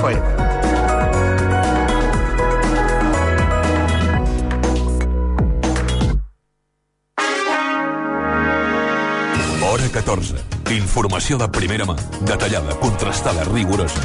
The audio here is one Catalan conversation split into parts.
FM. Hora 14. Informació de primera mà, detallada, contrastada, rigorosa.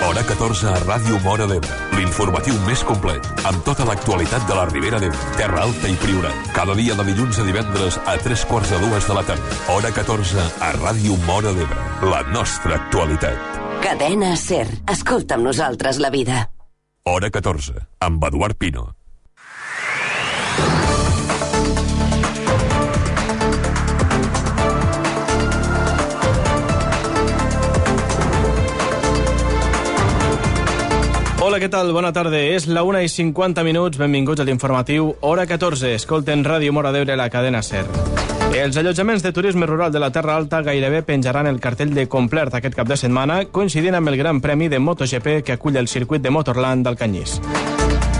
Hora 14 a Ràdio Móra d'Ebre. L'informatiu més complet, amb tota l'actualitat de la Ribera d'Ebre, Terra Alta i Priorat. Cada dia de dilluns a divendres a 3:45 de la tarda. Hora 14 a Ràdio Móra d'Ebre. La nostra actualitat. Cadena SER. Escolta amb nosaltres la vida. Hora 14, amb Eduard Pino. Hola, què tal? Bona tarda. És la 1:50. Benvinguts a l'informatiu Hora 14. Escolten Ràdio Móra d'Ebre, la cadena SER. Els allotjaments de turisme rural de la Terra Alta gairebé penjaran el cartell de complet aquest cap de setmana, coincidint amb el Gran Premi de MotoGP que acull el circuit de Motorland d'Alcanyís.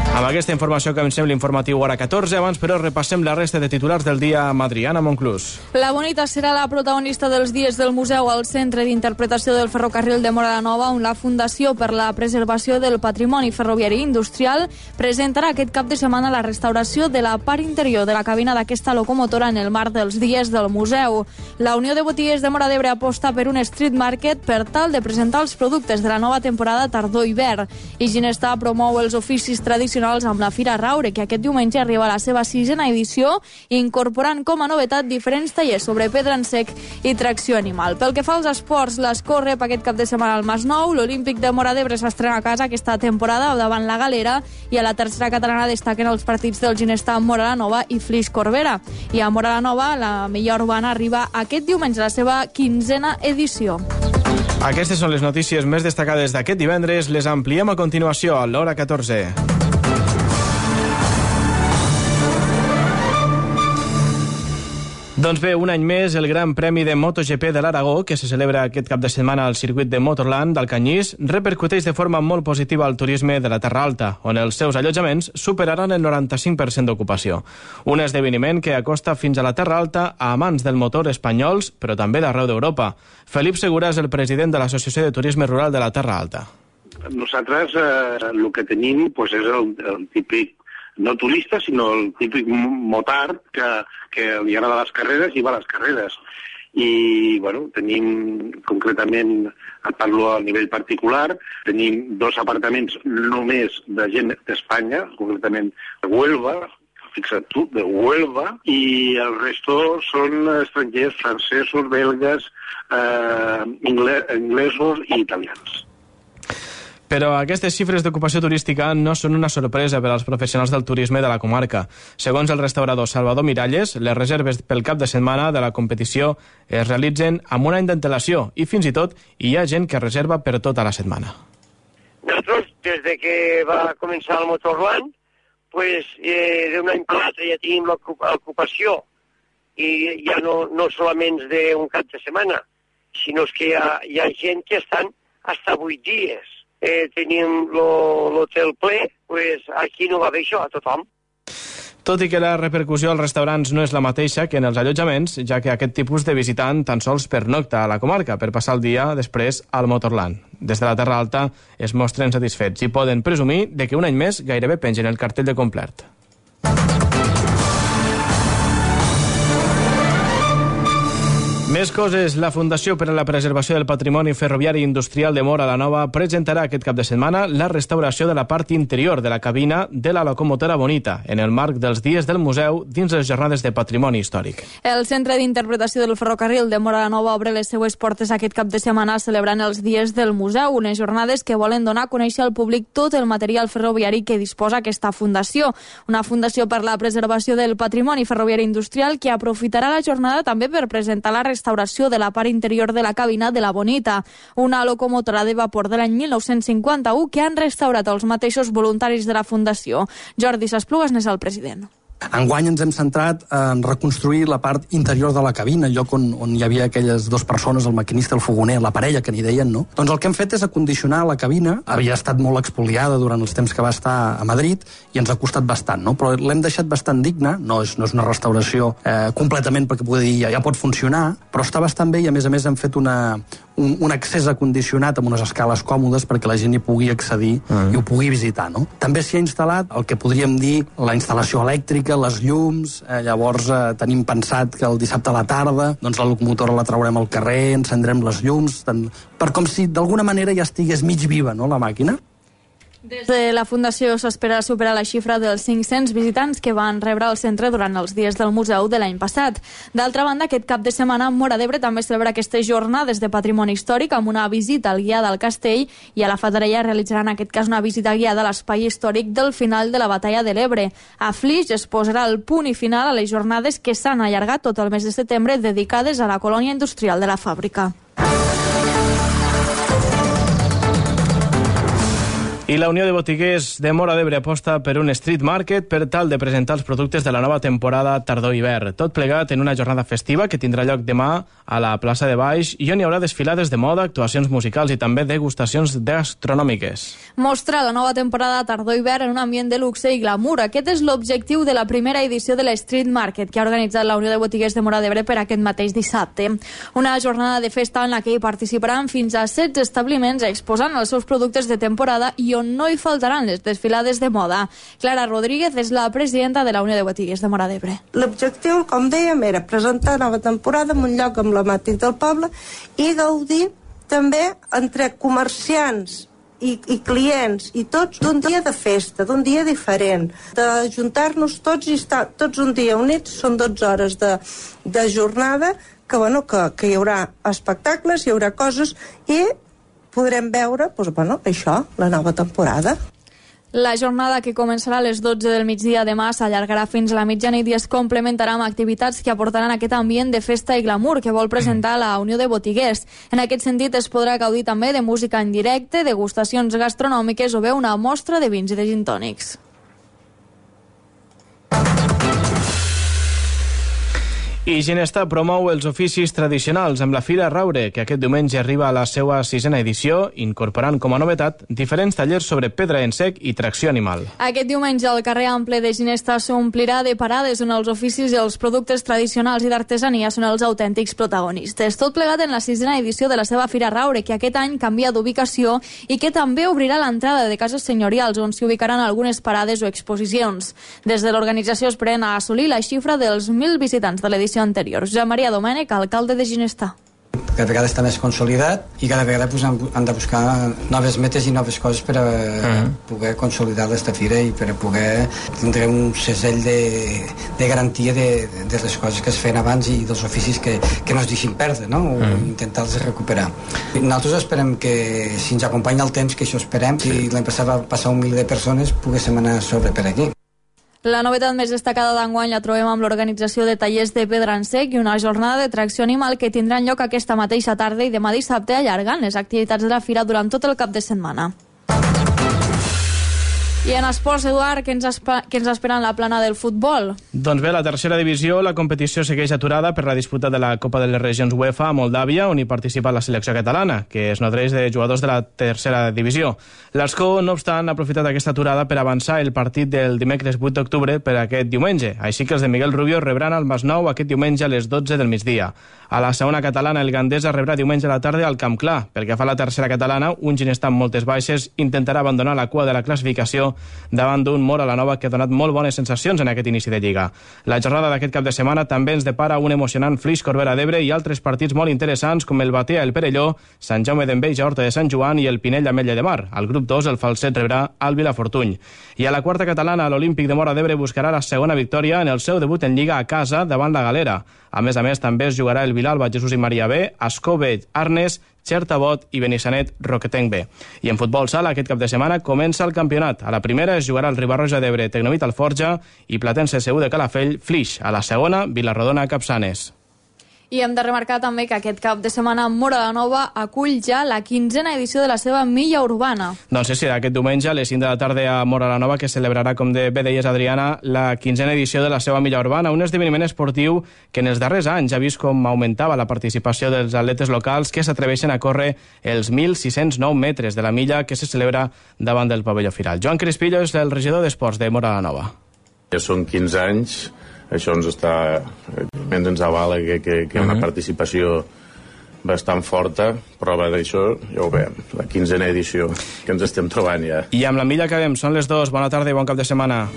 Amb aquesta informació comencem l'informatiu Hora 14. Abans, però, repassem la resta de titulars del dia amb Adriana Monclús. La Bonita serà la protagonista dels dies del museu al Centre d'Interpretació del Ferrocarril de Móra la Nova, on la Fundació per la Preservació del Patrimoni Ferroviari Industrial presentarà aquest cap de setmana la restauració de la part interior de la cabina d'aquesta locomotora en el marc dels dies del museu. La Unió de Botiguers de Móra d'Ebre aposta per un street market per tal de presentar els productes de la nova temporada tardor-hivern. I Ginestà promou els oficis tradicionals amb la Fira Raure, que aquest diumenge arriba a la seva 6a edició, incorporant com a novetat diferents tallers sobre pedra en sec i tracció animal. Pel que fa als esports, l'Escó rep aquest cap de setmana al Masnou, l'Olímpic de Móra d'Ebre s'estrena a casa aquesta temporada davant la Galera, i a la tercera catalana destaquen els partits del Ginestà Móra la Nova i Flix Corbera. I a Móra la Nova, la Millor Urbana arriba aquest diumenge a la seva 15a edició. Aquestes són les notícies més destacades d'aquest divendres. Les ampliem a continuació a l'Hora 14. Doncs bé, un any més, el Gran Premi de MotoGP de l'Aragó, que se celebra aquest cap de setmana al circuit de Motorland d'Alcanyís, repercuteix de forma molt positiva al turisme de la Terra Alta, on els seus allotjaments superaran el 95% d'ocupació. Un esdeveniment que acosta fins a la Terra Alta a amants del motor espanyols, però també d'arreu d'Europa. Felip Segura és el president de l'Associació de Turisme Rural de la Terra Alta. Nosaltres el que tenim és el típic, no turista, sinó el típic motard que li agrada les carreres i va a les carreres. I, bueno, tenim concretament, parlo a nivell particular, tenim 2 apartaments només de gent d'Espanya, concretament de Huelva, fixa't tu, de Huelva, i el resto són estrangers, francesos, belgues, inglesos i italians. Però aquestes xifres d'ocupació turística no són una sorpresa per als professionals del turisme de la comarca. Segons el restaurador Salvador Miralles, les reserves pel cap de setmana de la competició es realitzen amb un any d'antelació i fins i tot hi ha gent que reserva per tota la setmana. Nosaltres, des de que va començar el Motorland, d'un any per l'altre ja tenim l'ocupació i ja no solament d'un cap de setmana, sinó que hi ha gent que estan fins a 8 dies. Tenim l'hotel ple, aquí no va bé això a tothom. Tot i que la repercussió als restaurants no és la mateixa que en els allotjaments, ja que aquest tipus de visitant tan sols pernocta a la comarca per passar el dia després al Motorland. Des de la Terra Alta es mostren satisfets i poden presumir de que un any més gairebé pengen el cartell de complet. Més coses. La Fundació per a la Preservació del Patrimoni Ferroviari Industrial de Móra la Nova presentarà aquest cap de setmana la restauració de la part interior de la cabina de la locomotora Bonita, en el marc dels dies del museu dins les jornades de patrimoni històric. El Centre d'Interpretació del Ferrocarril de Móra la Nova obre les seues portes aquest cap de setmana celebrant els dies del museu, unes jornades que volen donar a conèixer al públic tot el material ferroviari que disposa aquesta fundació. Una fundació per la preservació del patrimoni ferroviari industrial que aprofitarà la jornada també per presentar la restauració de la part interior de la cabina de la Bonita, una locomotora de vapor de l'any 1951 que han restaurat els mateixos voluntaris de la Fundació. Jordi Sasplugas n'és el president. Enguany ens hem centrat en reconstruir la part interior de la cabina, el lloc on hi havia aquelles dues persones, el maquinista i el fogoner, la parella que n'hi deien, no? Doncs el que hem fet és acondicionar la cabina, havia estat molt expoliada durant els temps que va estar a Madrid i ens ha costat bastant, no? Però l'hem deixat bastant digna, no és una restauració completament perquè pugui dir ja pot funcionar, però està bastant bé i a més hem fet una un accés acondicionat amb unes escales còmodes perquè la gent hi pugui accedir i ho pugui visitar, no? També s'hi ha instal·lat el que podríem dir la instal·lació elèctrica, les llums, llavors tenim pensat que el dissabte a la tarda doncs la locomotora la traurem al carrer, encendrem les llums, per com si d'alguna manera ja estigués mig viva, no, la màquina. Des de la Fundació s'espera superar la xifra dels 500 visitants que van rebre el centre durant els dies del museu de l'any passat. D'altra banda, aquest cap de setmana Móra d'Ebre també celebra aquestes jornades de patrimoni històric amb una visita al guiada al castell i a la Fatarella realitzaran en aquest cas una visita guiada a l'espai històric del final de la batalla de l'Ebre. A Flix es posarà el punt i final a les jornades que s'han allargat tot el mes de setembre dedicades a la colònia industrial de la fàbrica. I la Unió de Botiguers de Móra d'Ebre aposta per un street market per tal de presentar els productes de la nova temporada tardor-hivern. Tot plegat en una jornada festiva que tindrà lloc demà a la plaça de Baix i on hi haurà desfilades de moda, actuacions musicals i també degustacions gastronòmiques. Mostra la nova temporada tardor-hivern en un ambient de luxe i glamour. Aquest és l'objectiu de la primera edició de l'Street Market que ha organitzat la Unió de Botiguers de Móra d'Ebre per aquest mateix dissabte. Una jornada de festa en la que hi participaran fins a 16 establiments exposant els seus productes de temporada i on no hi faltaran les desfilades de moda. Clara Rodríguez és la presidenta de la Unió de Botiguers de Móra d'Ebre. L'objectiu, com dèiem, era presentar nova temporada en un lloc emblemàtic del poble i gaudir també entre comerciants i clients i tots d'un dia de festa, d'un dia diferent, d'ajuntar-nos tots i estar tots un dia units. Són 12 hores de jornada que hi haurà espectacles, hi haurà coses i podrem veure, això, la nova temporada. La jornada, que començarà a les 12 del migdia demà, s'allargarà fins a la mitjanit i es complementarà amb activitats que aportaran aquest ambient de festa i glamour que vol presentar la Unió de Botiguers. En aquest sentit, es podrà gaudir també de música en directe, degustacions gastronòmiques o bé una mostra de vins i de gin tònics. I Ginesta promou els oficis tradicionals amb la Fira Raure, que aquest diumenge arriba a la seva 6a edició, incorporant com a novetat diferents tallers sobre pedra en sec i tracció animal. Aquest diumenge el carrer ample de Ginesta s'omplirà de parades on els oficis i els productes tradicionals i d'artesania són els autèntics protagonistes. Tot plegat en la 6a edició de la seva Fira Raure, que aquest any canvia d'ubicació i que també obrirà l'entrada de cases senyorials, on s'hi ubicaran algunes parades o exposicions. Des de l'organització esperen a assolir la xifra dels 1.000 visitants de l'edició anterior. Josep Maria Domènech, alcalde de Ginestà. Cada vegada està més consolidat i cada vegada han de buscar noves metes i noves coses per a poder consolidar aquesta fira i per a poder tindre un segell de garantia de les coses que es feien abans i dels oficis que no es deixin perdre, no? O intentar-los recuperar. Nosaltres esperem que, si ens acompanya el temps, que això esperem, si l'any passat va passar 1.000 de persones, poguéssim anar sobre per aquí. La novetat més destacada d'enguany la trobem amb l'organització de tallers de pedra en sec i una jornada de tracció animal que tindran lloc aquesta mateixa tarda i demà dissabte, allargant les activitats de la fira durant tot el cap de setmana. I en esports, Eduard, què ens espera en la plana del futbol? Doncs bé, la tercera divisió, la competició segueix aturada per la disputa de la Copa de les Regions UEFA a Moldàvia, on hi participa la selecció catalana, que es nodreix de jugadors de la tercera divisió. L'Escó, no obstant, ha aprofitat aquesta aturada per avançar el partit del dimecres 8 d'octubre per aquest diumenge. Així que els de Miguel Rubio rebran el Masnou aquest diumenge a les 12 del migdia. A la segona catalana, el Gandesa rebrà diumenge a la tarda al Camp Clar. Pel que fa a la tercera catalana, un Ginestà amb moltes baixes intentarà abandonar la cua de la classificació davant d'un Móra la Nova que ha donat molt bones sensacions en aquest inici de Lliga. La jornada d'aquest cap de setmana també ens depara un emocionant Flix Corbera d'Ebre i altres partits molt interessants com el Batea el Perelló, Sant Jaume d'Enveja Horta de Sant Joan i el Pinell Ametlla de Mar. Al grup 2 el Falset rebrà el Vilafortuny. I a la quarta catalana, l'Olímpic de Móra d'Ebre buscarà la segona victòria en el seu debut en Lliga a casa davant la Galera. A més, també es jugarà el Vilalba Jesús i Maria B, Escobell Arnes, Xertabot i Benissanet Roquetenc B. I en futbol sala, aquest cap de setmana comença el campionat. A la primera es jugarà el Ribarroja d'Ebre Tecnovit Alforja i Platense CU de Calafell Flix. A la segona, Vilarrodona Capçanes. I hem de remarcar també que aquest cap de setmana Móra la Nova acull ja la 15a edició de la seva milla urbana. Doncs sí, aquest diumenge a les 5 de la tarda a Móra la Nova, que celebrarà, com bé deies, Adriana, la 15a edició de la seva milla urbana, un esdeveniment esportiu que en els darrers anys ha vist com augmentava la participació dels atletes locals que s'atreveixen a córrer els 1.609 metres de la milla que se celebra davant del pavelló Firal. Joan Crispillo és el regidor d'Esports de Móra la Nova. Ja són 15 anys. Això ens avala que hi ha una participació bastant forta, prova d'això, ja ho veiem, la 15a edició que ens estem trobant ja. I amb la milla acabem, són les 2, bona tarda i bon cap de setmana.